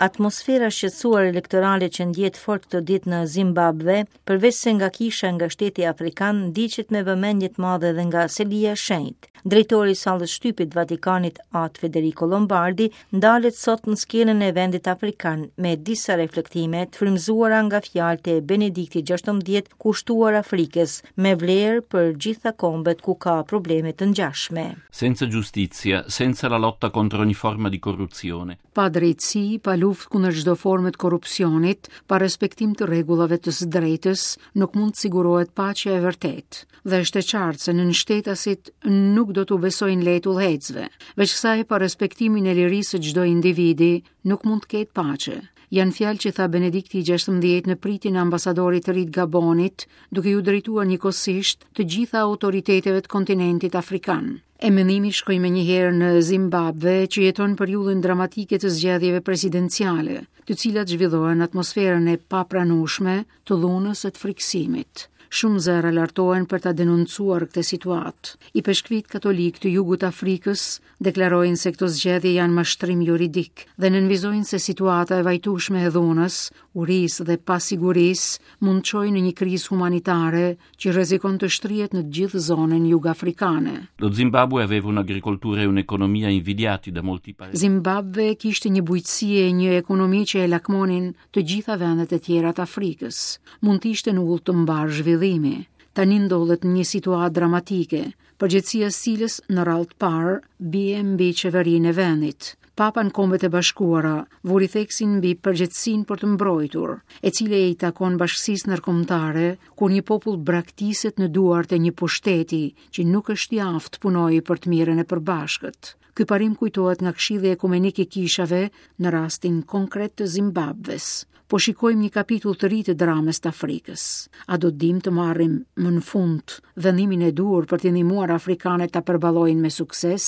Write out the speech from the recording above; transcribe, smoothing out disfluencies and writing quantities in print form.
Atmosfera e shqetësuar elektorale që ndjehet fort këto ditë në Zimbabve, përveçse nga kisha nga shteti afrikan, ndiqet me vëmendje të madhe edhe nga Selia e Shenjtë. Drejtori i sallës së shtypit të Vatikanit, At Federico Lombardi, ndalet sot në skenën e vendit afrikan me disa reflektime të frymëzuara nga fjalët e Benediktit XVI kushtuar Afrikës, me vlerë për gjitha kombet ku ka probleme të ngjashme. Senza giustizia, senza la lotta contro ogni forma di corruzione. Pa drejtësi, pa luftë kundër çdo forme të korrupsionit, pa respektim të rregullave të së drejtës, nuk mund të sigurohet paqja e vërtetë. Dhe është e qartë se nënshtetasit nuk do t'u besojnë lehtë udhëheqësve. Veç kësaj, pa respektimin e lirisë së çdo individi, nuk mund të ketë paqe. Janë fjalë që tha Benedikti i 16 në pritjen e ambasadorit të ri të Gabonit, duke iu drejtuar njëkohësisht të gjitha autoriteteve të kontinentit afrikan. E mendimi shkoi menjëherë në Zimbabve, që jeton periudhën dramatike të zgjedhjeve presidenciale, të cilat zhvillohen në atmosferën e papranueshme të dhunës e të frikësimit. Shumë zëra lartohen për ta denoncuar këtë situatë. Ipeshkvijtë katolikë të jugut të Afrikës deklarojnë se këto zgjedhje janë mashtrim juridik dhe nënvizojnë se situata e vajtueshme e dhunës, urisë dhe pasigurisë mund të çojë në një krizë humanitare që rrezikon të shtrihet në të gjithë zonën jugafrikane. Lo Zimbabwe aveva un'agricoltura e un'economia invidiati da molti paesi. Zimbabwe kishte një bujqësi e një ekonomi që e lakmonin të gjitha vendet e tjera të Afrikës. Mund të ishte në udhë të mbarë zhvillimi. Tani ndodhet në një situatë dramatike, përgjegjësia e së cilës në radhë të parë bie mbi qeverinë e vendit. Papa në Kombet e Bashkuara vuri theksin mbi përgjegjësinë për të mbrojtur, e cila i takon bashkësisë ndërkombëtare kur një popull braktiset në duart e një pushteti që nuk është i aftë të punojë për të mirën e përbashkët. Ky parim kujtohet nga Këshilli Ekumenik i Kishave në rastin konkret të Zimbabves. Po shikojmë një kapitull të ri të dramës të Afrikës. A do të dimë të marrim më në fund vendimin e duhur për t'i ndihmuar afrikanët ta përballojnë me sukses?